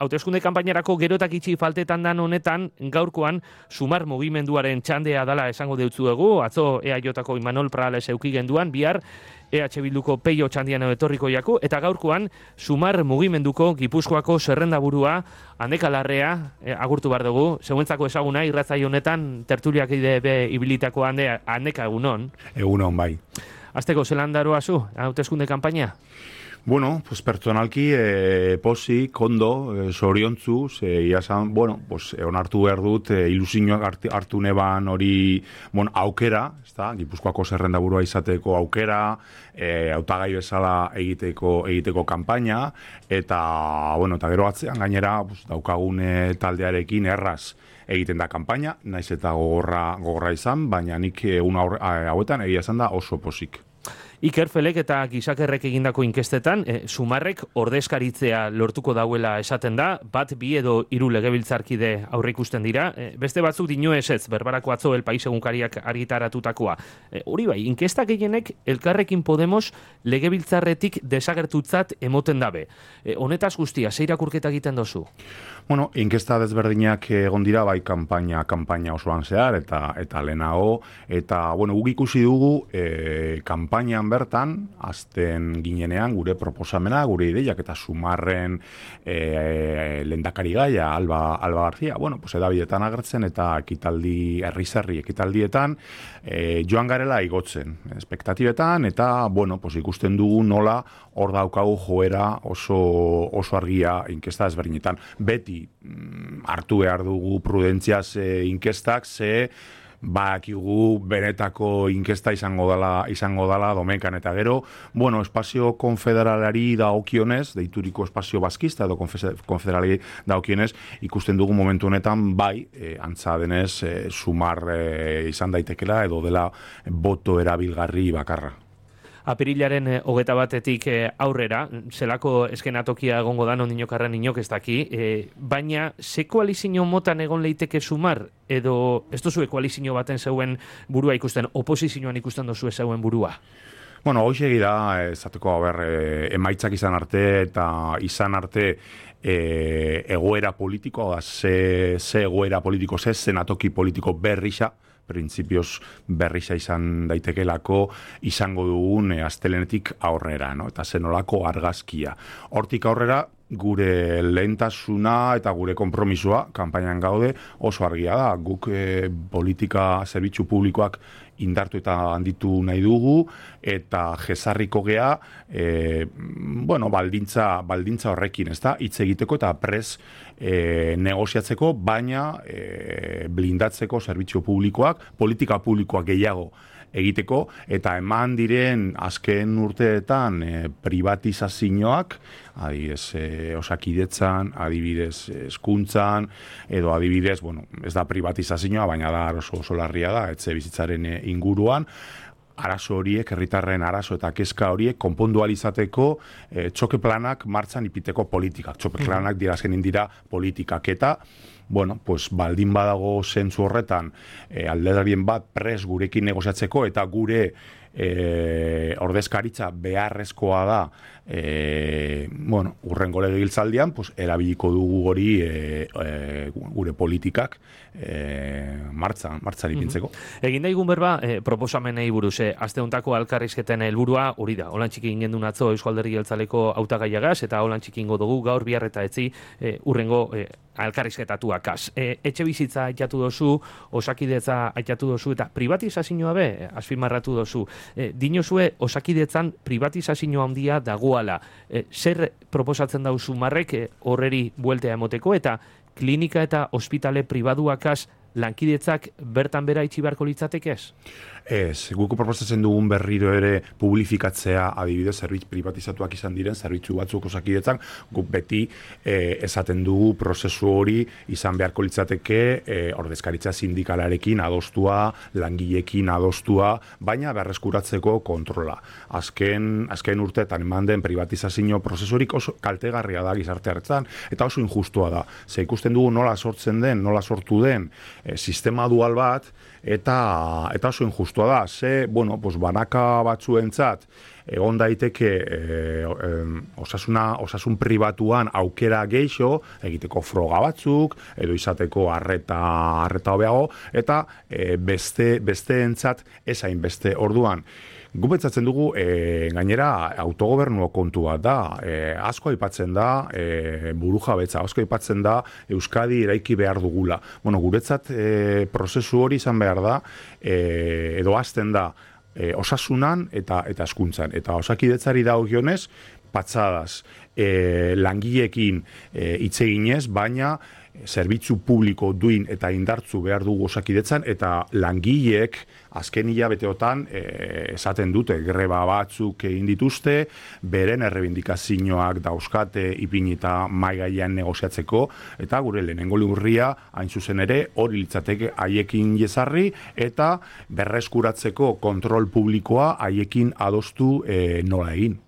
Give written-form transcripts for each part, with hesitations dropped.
hauteskunde kanpainarako gerotak itxi faltetan dan honetan, gaurkoan Sumar mugimenduaren txandea dala esango deutzuegu, atzo EAJko Imanol Prales euki genduan, bihar EH Bilduko Peio txandian etorriko jaku, eta gaurkoan Sumar mugimenduko Gipuzkoako zerrendaburua Andeka Larrea agurtu bar dugu, zeuentzako ezaguna irratzaio honetan tertuliak ide ibilitako Andeka egunon. Egunon bai. Azteko zelan daroa zu, hauteskunde kanpaina? Bueno, pues personalki pozik, ondo, zoriontzu, iasan, bueno, pues onartu behar dut, ilusioak hartu neban hori, bueno, aukera, ezta, Gipuzkoako zerrendaburua izateko aukera, hautagai bezala egiteko kanpaina, eta, bueno, eta gero atzean gainera, pues, daukagune taldearekin erraz egiten da kanpaina, naiz eta gogorra izan, baina nik egun hauetan egia esan da oso pozik. Iker Felek eta Gizakerrek egindako inkestetan, Sumarrek ordezkaritzea lortuko dauela esaten da, bat, bi edo hiru legebiltzarkide aurre ikusten dira, beste batzuk dino ez, berbarako atzo El País egunkariak argitaratutakoa. Hori bai, inkesta gehienek Elkarrekin Podemos legebiltzarretik desagertutzat emoten dabe. Honetaz guztia, ze irakurketa egiten dozu? Bueno, inkesta desberdinak egon dira, bai kanpaina osoan zehar, eta lehenago, eta, bueno, guk ikusi dugu kanpainan bertan, azten ginenean, gure proposamena, gure ideiak, eta Sumarren lehendakari gaia, Alba García, bueno, pues edabidetan agertzen, eta ekitaldi, herri ekitaldietan, joan garela igotzen, espektatibetan, eta, bueno, pues ikusten dugu nola hor daukagu joera oso argia inkesta ezberdinetan. Beti hartu behar dugu prudentziaz inkestak, bakigu benetako inkesta izango dala domekan, eta gero, bueno, espazio konfederalari dagokionez, deituriko espazio baskista edo konfederalari dagokionez, ikusten dugu momentu honetan, bai, antza denez, Sumar izan daitekela edo dela boto erabilgarri bakarra. Apirilaren 21-etik aurrera, zelako eskenatokia egongo da, non inokarren inok ez daki, baina ze koalizio motan egon leiteke Sumar, edo ez duzue koalizio baten zeuen burua ikusten, oposizioan ikusten duzue zeuen burua? Bueno, hoxe da, ezateko, emaitzak izan arte, eta izan arte egoera politiko, ze egoera politiko, ze zenatoki politiko berrisa, printzipioz berriza izan daitekelako izango dugun astelenetik aurrera, no? Eta zenolako argazkia. Hortik aurrera, gure lehentasuna eta gure konpromisoa, kanpainan gaude, oso argia da. Guk politika zerbitzu publikoak indartu eta handitu nahi dugu, eta jesarriko gea, bueno, baldintza horrekin, ez da, hitz egiteko eta pres negoziatzeko, baina blindatzeko zerbitzu publikoak, politika publikoak gehiago egiteko, eta eman diren azken urteetan privatizazioak, adibidez osakidetzan, adibidez hezkuntzan, edo adibidez, bueno, ez da privatizazioa, baina da oso larria da, etxe bizitzaren inguruan, arazo horiek, herritarren arazo eta kezka horiek konpondualizateko txoke planak martxan ipiteko politikak. Txoke planak dira azkenin dira politikak, eta bueno, pues baldin badago zentzu horretan alderdarien bat pres gurekin negoziatzeko, eta gure ordezkaritza beharrezkoa da bueno, urrengo legebiltzaldian, pues erabiliko dugu hori gure politikak martxan ipintzeko. Egin daigun berba, proposamenei buruz, aste hontako elkarrizketen helburua hori da. Holan txikin gendun atzo Eusko Alderdi Jeltzaleko hautagaiagaz, eta holan txikingo dugu gaur bihar eta etzi urrengo elkarrizketatuakaz. Etxe bizitza aitatu dozu, osakidetza aitatu dozu, eta privatizazioa be, azpimarratu dozu. Dinozue, osakidetzan privatizazioa handia dagoala. Zer proposatzen dau Sumarrek horreri bueltea emoteko, eta klinika eta ospitale pribaduakaz lankidetzak bertan bera itxi beharko litzatekez? Ez, guk proposatzen dugun berriro ere publifikatzea, adibidez, zerbitzu privatizatuak izan diren, zerbitzu batzuk osakidetzan, guk beti esaten dugu prozesu hori izan beharko litzateke ordezkaritza sindikalarekin adostua, langileekin adostua, baina berreskuratzeko kontrola. Azken urteetan eman den privatizazio prozesurik oso kaltegarria da gizarte hartzan, eta oso injustua da. Ze ikusten dugu nola sortzen den, nola sortu den, sistema dual bat, eta oso injustua da. Banaka batzuentzat, egon daiteke osasun pribatuan aukera geixo, egiteko froga batzuk, edo izateko arreta hobeago, eta besteentzat ezain beste orduan. Gupetzatzen dugu, gainera, autogobernu kontu bat da. Asko aipatzen da, burujabetza, asko aipatzen da, Euskadi eraiki behar dugula. Guretzat prozesu hori izan behar da, edo hasten da, osasunan eta hezkuntzan. Eta Osakidetzari dagokionez, patxadaz, langileekin hitz eginez, baina zerbitzu publiko duin eta indartzu behar dugu Osakidetzan, eta langileek azken hilabeteotan esaten dute, greba batzuk egin dituzte, beren errebindikazioak dauzkate ipinita mahai gainean negoziatzeko, eta gure lehenengo lurria hain zuzen ere hori litzateke haiekin jezarri, eta berreskuratzeko kontrol publikoa haiekin adostu nola egin.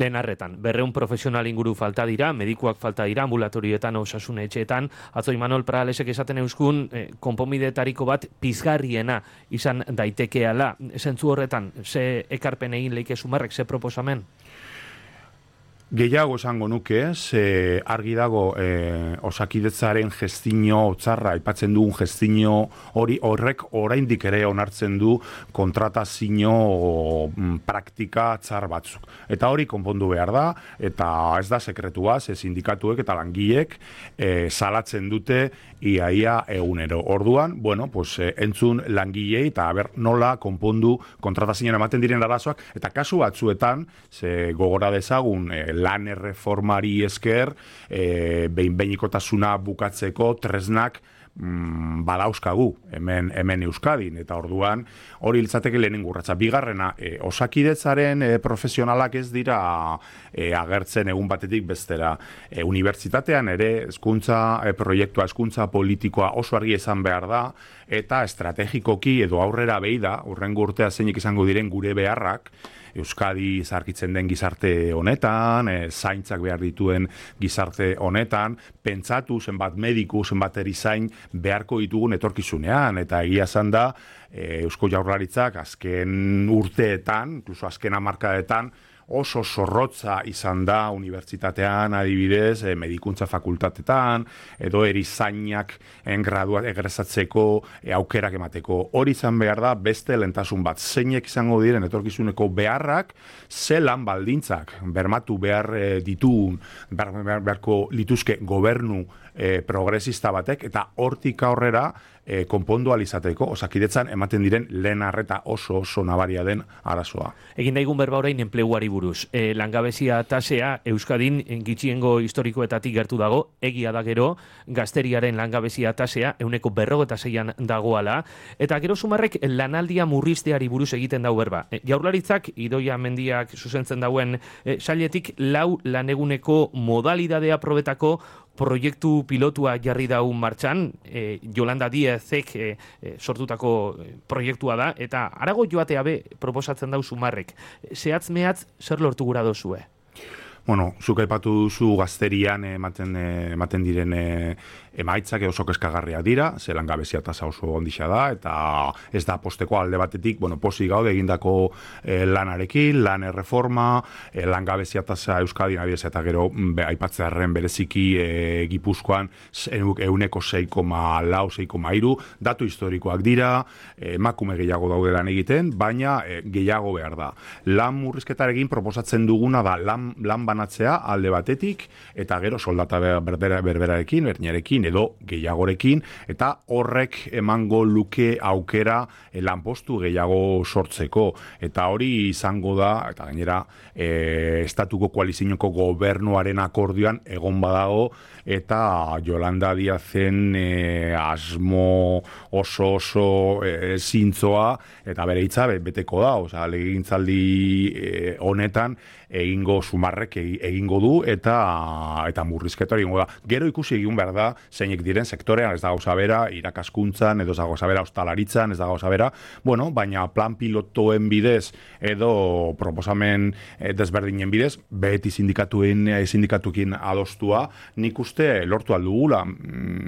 Lehen arretan, 200 profesional inguru falta dira, medikuak falta dira, ambulatorioetan, osasun etxeetan. Atzo Imanol Pralesek esaten euskun, konponbidetariko bat pizgarriena izan daitekeala. Zentzu horretan, ze ekarpen egin leike Sumarrek, ze proposamen? Gehiago esango nuke, argi dago Osakidetzaren gestio txarra, aipatzen dugun gestio horrek oraindik ere onartzen du kontratazio praktika txar batzuk. Eta hori konpondu behar da, eta ez da sekretua, sindikatuek eta langileek salatzen dute iaia egunero. Orduan, entzun langilei eta nola konpondu kontratazioan ematen diren arazoak, eta kasu batzuetan, gogora dezagun lan erreformari esker, behin-behinikotasuna bukatzeko tresnak badauzkagu hemen Euskadin, eta orduan hori litzateke lehenengo urratsa. Bigarrena, Osakidetzaren profesionalak ez dira agertzen egun batetik bestera. Unibertsitatean ere hezkuntza proiektua, hezkuntza politikoa oso argi esan behar da, eta estrategikoki edo aurrera behi da, hurrengo urtea zeinek izango diren gure beharrak, Euskadi zarkitzen den gizarte honetan, zaintzak behar dituen gizarte honetan, pentsatu zenbat mediku, zenbat erizain beharko ditugun etorkizunean, eta egia esan da, Eusko Jaurlaritzak azken urteetan, incluso azken hamarkadetan, oso zorrotza izan da unibertsitatean, adibidez, medikuntza fakultatetan, edo erizainak graduat egresatzeko aukerak emateko. Hori izan behar da, beste lentasun bat. Zeinek izango diren etorkizuneko beharrak, ze lan baldintzak bermatu behar ditun, beharko lituzke gobernu progresista batek, eta hortik aurrera konpondu alizateko, Osakidetzan ematen diren lehen arreta oso nabaria den arazoa. Egin daigun berba orain enpleguari buruz. Langabezia tasea Euskadin gitxiengo historikoetatik gertu dago, egia da gero, gazteriaren langabezia tasea 46an dagoala, eta gero Sumarrek lanaldia murrizteari buruz egiten dau berba. Jaurlaritzak, Idoia Mendiak zuzentzen dauen sailetik 4 laneguneko modalidadea probetako proiektu pilotua jarri daun martxan, Yolanda Díezek sortutako proiektua da, eta arago joatea be proposatzen dau Sumarrek. Zehatz mehatz zer lortu gura dozue? Zuk aipatu duzu gazterian ematen diren emaitzak oso kezkagarriak dira, ze langabezia tasa oso ondisa da, eta ez da posteko alde batetik, posi gaude egindako lanarekin, lan erreforma, langabezia tasa Euskadin adibidez, eta gero aipatzearren bereziki Gipuzkoan 6,4, 6,3, datu historikoak dira, emakume gehiago daude lan egiten, baina gehiago behar da. Lan murrizketarekin proposatzen duguna da lan banatzea alde batetik, eta gero soldata berberarekin, berdinarekin, edo gehiagorekin, eta horrek emango luke aukera lanpostu gehiago sortzeko. Eta hori izango da, eta gainera, estatuko koalizioko gobernuaren akordioan egon badago, eta Yolanda Díazen asmo oso zintzoa, eta bere hitza beteko da, legegintzaldi honetan egingo Sumarrek egingo du eta murrizketa egingo da. Gero ikusi egin behar da, zeinek diren sektorean, ez da gauza bera, irakaskuntzan, edo ez da gauza bera, ostalaritzan, ez da gauza bera, bueno, baina plan pilotoen bidez, edo proposamen desberdinen bidez, beti sindikatukin adostua, nik uste lortu aldugula,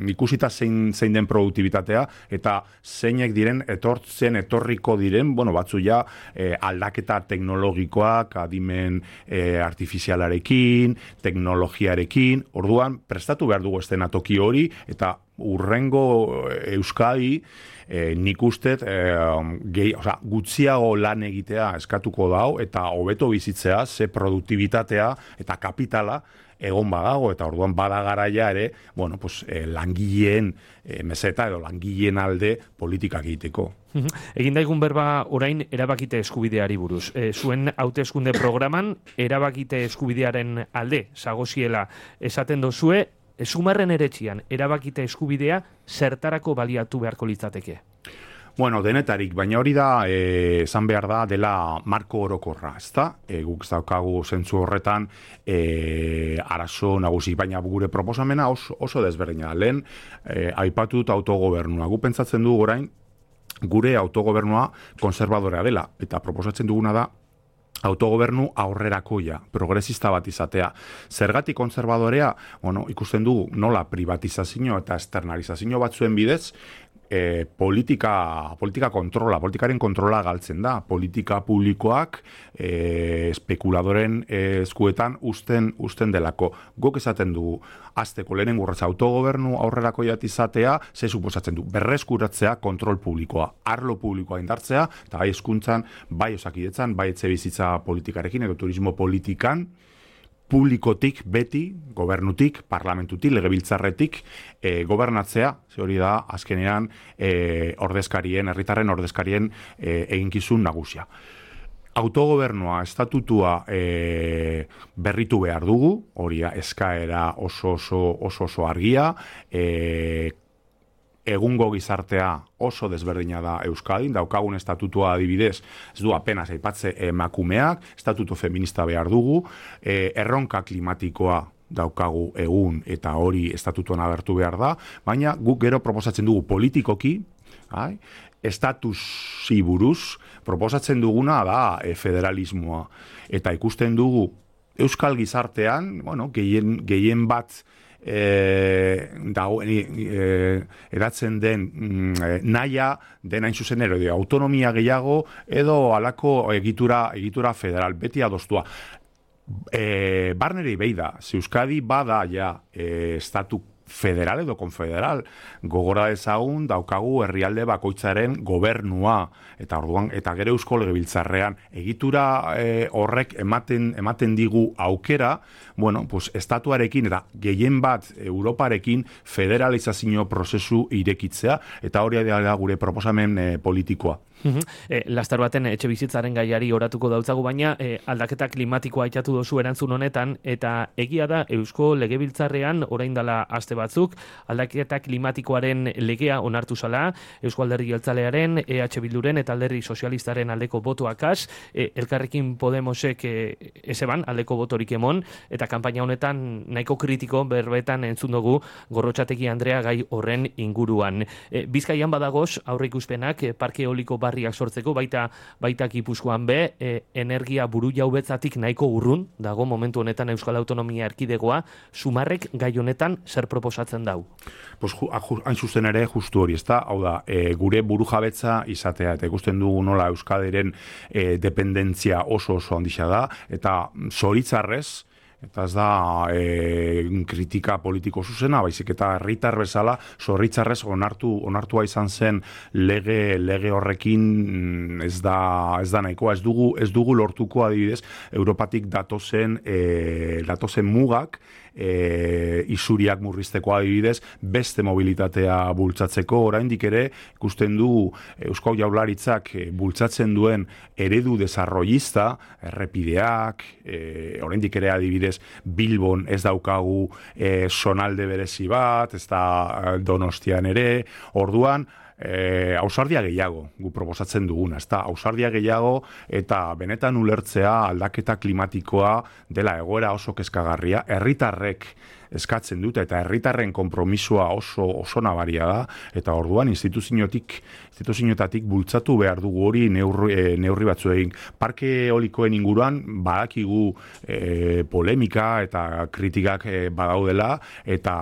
ikusita zein den produktibitatea, eta zeinek diren etorriko diren, bueno, batzu ja aldaketa teknologikoak, adimen artifizialarekin, teknologiarekin, orduan prestatu behar dugu estenatoki hori, eta urrengo Euskadi nik ustet gutxiago lan egitea eskatuko dau, eta hobeto bizitzea, ze produktibitatea eta kapitala egon badago, eta orduan bada garaia ere, bueno, pues, langileen meseta edo langileen alde politikak egiteko. Egin daigun berba orain erabakite eskubideari buruz. Zuen hauteskunde programan erabakite eskubidearen alde zagoziela esaten dozue, Sumarren eretxian erabakite eskubidea zertarako baliatu beharko litzateke? Bueno, denetarik, baina hori da, esan behar da, dela marko orokorra, ezta? Guk ez daukagu zentzu horretan arazo nagusi, baina gure proposamena oso desberdina. Lehen, aipatut autogobernua. Gu pentsatzen dugu orain, gure autogobernua konservadorea dela, eta proposatzen duguna da, autogobernu aurrerakoia, progresista bat izatea. Zergatik konservadorea, bueno, ikusten dugu nola privatizazio eta externalizazio batzuen bidez, politika kontrola, politikaren kontrola galtzen da. Politika publikoak espekuladoren eskuetan usten delako. Guk esaten dugu, azteko lehenen gurratza autogobernu aurrerakoiat izatea, ze suposatzen du, berreskuratzea kontrol publikoa, arlo publikoa indartzea, eta bai hezkuntzan, bai osakidetzan, bai etxebizitza politikarekin, edo turismo politikan, publikotik, beti, gobernutik, parlamentutik, legebiltzarretik, gobernatzea, ze hori da, azkenean, herritarren ordezkarien eginkizun nagusia. Autogobernua, estatutua berritu behar dugu, hori eskaera oso argia, egungo gizartea oso desberdina da Euskadin, daukagun estatutua adibidez, ez du apenas aipatze emakumeak, estatuto feminista behar dugu, erronka klimatikoa daukagu egun eta hori estatutuan agertu behar da, baina guk gero proposatzen dugu politikoki, estatusi buruz, proposatzen duguna da federalismoa, eta ikusten dugu Euskal gizartean, bueno, gehien bat eratzen den naia den hain zuzen ere autonomia gehiago edo halako egitura federal beti adostua. Barneri beida, Euskadi bada ja estatu federal edo konfederal, gogora ezagun daukagu herrialde bakoitzaren gobernua, eta orduan, eta gero Eusko Legebiltzarrean egitura horrek ematen digu aukera, bueno, pues estatuarekin eta gehien bat Europarekin federalizazio prozesu irekitzea, eta hori da gure proposamen politikoa. Lastar baten etxe bizitzaren gaiari oratuko dautzagu, baina aldaketa klimatikoa aitatu dozu erantzun honetan, eta egia da Eusko Legebiltzarrean orain dela aste batzuk aldaketa klimatikoaren legea onartu zala, Eusko Alderdi Jeltzalearen, EH Bilduren eta Alderdi Sozialistaren aldeko botoakaz, Elkarrekin Podemosek ezeban aldeko botorik emon, eta kanpaina honetan nahiko kritiko berbetan entzun dugu Gorrotxategi Andrea gai horren inguruan. Bizkaian badagoz aurreikuspenak parke eoliko barriak sortzeko, baita Gipuzkoan be, energia buru jaubetzatik nahiko urrun dago momentu honetan Euskal Autonomia Erkidegoa. Sumarrek gai honetan zer proposatzen dau? Pues, hain zuzen ere justu hori, ezta? Hau da, gure burujabetza izatea, eta ikusten dugu nola Euskadiren dependentzia oso handixea da, eta zoritzarrez, eta ez da kritika politiko zuzena, baizik eta herritar bezala zorritzarrez onartua izan zen lege horrekin ez da nahikoa, ez dugu lortuko adibidez Europatik datozen mugak isuriak murrizteko adibidez, beste mobilitatea bultzatzeko, oraindik ere ikusten du Eusko Jaurlaritzak bultzatzen duen eredu desarrollista, errepideak, oraindik ere adibidez Bilbon ez daukagu zonalde berezi bat, ez da Donostian ere, orduan ausardia gehiago gu proposatzen duguna, ezta? Ausardia gehiago eta benetan ulertzea aldaketa klimatikoa dela egoera oso kezkagarria, herritarrek eskatzen dute eta herritarren konpromisoa oso nabaria da eta orduan instituzioetatik bultzatu behar dugu hori neurri batzuekin. Parke eolikoen inguruan badakigu polemika eta kritikak badaudela eta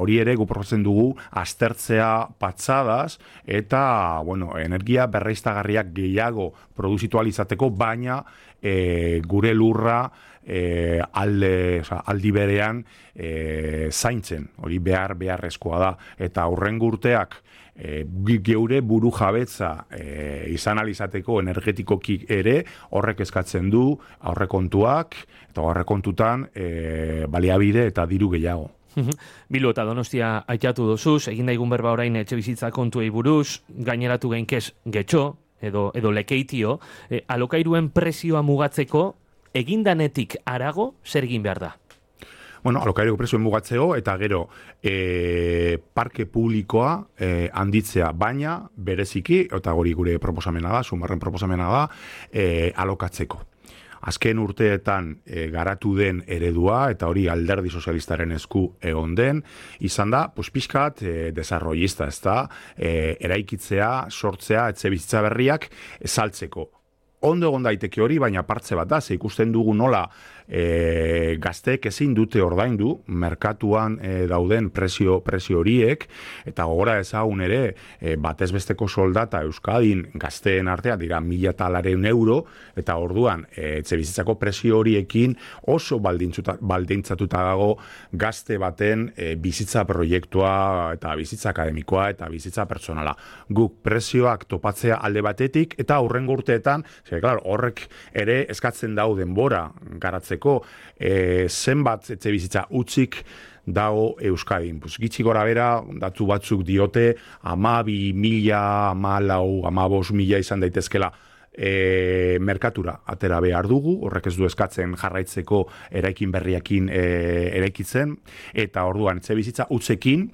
hori ere gu proposatzen dugu aztertzea patxadaz eta energia berriztagarriak gehiago produzitu ahal izateko, baina gure lurra aldi berean zaintzen, hori beharrezkoa da, eta hurrengo urteak geure buru jabetza izan alizateko energetikoki ere horrek eskatzen du aurrekontuak, eta aurrekontutan baliabide eta diru gehiago. Bilbo eta Donostia aitatu dozuz, egin daigun berba orain etxe bizitza kontuei buruz, gaineratu gainkez getxo, edo lekeitio, alokairuen prezioa mugatzeko egindanetik arago zer egin behar da? Alokairuko prezioen mugatzeo eta gero parke publikoa handitzea, baina bereziki, eta hori gure proposamena da, Sumarren proposamena da, alokatzeko. Azken urteetan garatu den eredua, eta hori alderdi sozialistaren esku egon den, izan da, pixkat desarrollista, ez da, eraikitzea, sortzea, etxe bizitza berriak saltzeko. Ondo egon daiteke hori, baina partze bat da, ze ikusten dugu nola gazteek ezin dute ordaindu merkatuan dauden presio horiek, eta gogora ezagun ere batez besteko soldata Euskadin gazteen artean dira 1.200 euro, eta orduan etxebizitzako presio horiekin oso baldintzatuta dago gazte baten bizitza proiektua eta bizitza akademikoa eta bizitza pertsonala. Guk presioak topatzea alde batetik eta hurrengo urteetan, horrek ere eskatzen dau denbora garatzeko zenbat etxebizitza utzik dago Euskadin. Gitxi gora bera, datu batzuk diote 12.000, 14.000, 15.000 izan daitezkela merkatura atera behar dugu, horrek ez du eskatzen jarraitzeko eraikin berriakin eraikitzen, eta orduan etxebizitza utzekin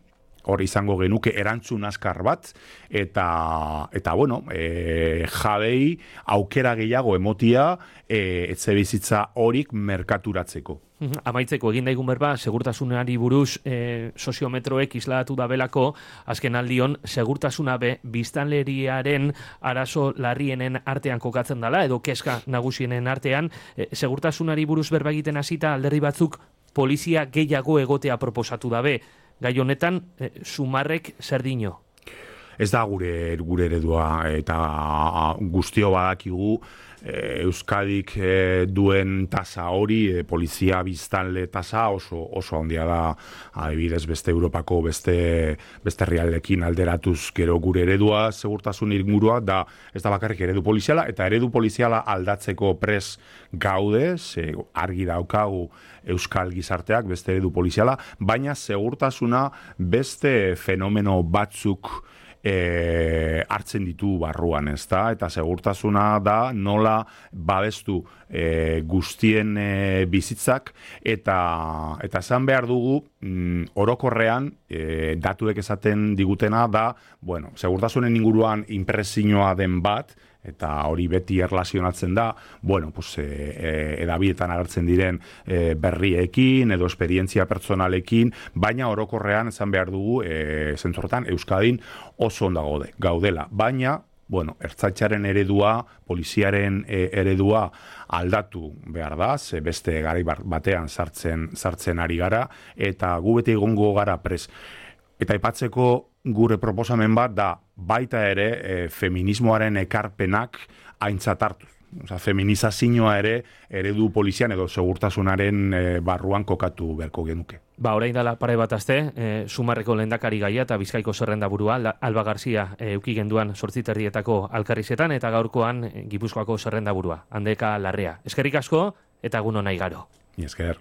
hori izango genuke erantzun askar bat, eta jabei aukera gehiago emotia etxebizitza horik merkaturatzeko. Amaitzeko egin daigun berba, segurtasunari buruz soziometroek isladatu dabelako, azken aldion, segurtasuna biztanleriaren arazo larrienen artean kokatzen dela, edo keska nagusienen artean, segurtasunari buruz berba egiten hasita alderdi batzuk polizia gehiago egotea proposatu dabe. Gai honetan, Sumarrek zer dino? Ez da gure eredua, eta guztio badakigu Euskadik duen tasa hori, polizia biztanle tasa oso handia da, adibidez beste Europako beste herrialdeekin alderatuz gero gure eredua segurtasun ingurua da, ez da bakarrik eredu poliziala, eta eredu poliziala aldatzeko pres gaude, argi daukagu Euskal gizarteak beste eredu poliziala, baina segurtasuna beste fenomeno batzuk hartzen ditu barruan, ezta? Eta segurtasuna da nola babestu guztien bizitzak, eta esan behar dugu orokorrean datuek esaten digutena da, segurtasunen inguruan inpresioa den bat, eta hori beti erlazionatzen da, edabidetan agertzen diren berriekin edo esperientzia pertsonalekin, baina orokorrean esan behar dugu, zentzorretan, Euskadin oso ondo gaudela. Baina, ertzaintzaren eredua, poliziaren eredua aldatu behar da, ze beste garai batean sartzen ari gara, eta gu beti egongo gara pres. Eta aipatzeko gure proposamen bat da baita ere feminismoaren ekarpenak aintzat hartuz. Feminizazioa ere eredu polizian edo segurtasunaren barruan kokatu beharko genuke. Orain dela pare bat aste, Sumarreko lehendakari gaia eta Bizkaiko zerrendaburua Alba Garzia euki genduan 8:30 Alkarrizetan, eta gaurkoan Gipuzkoako zerrendaburua Handeka Larrea. Eskerrik asko eta egun on igaro. Esker.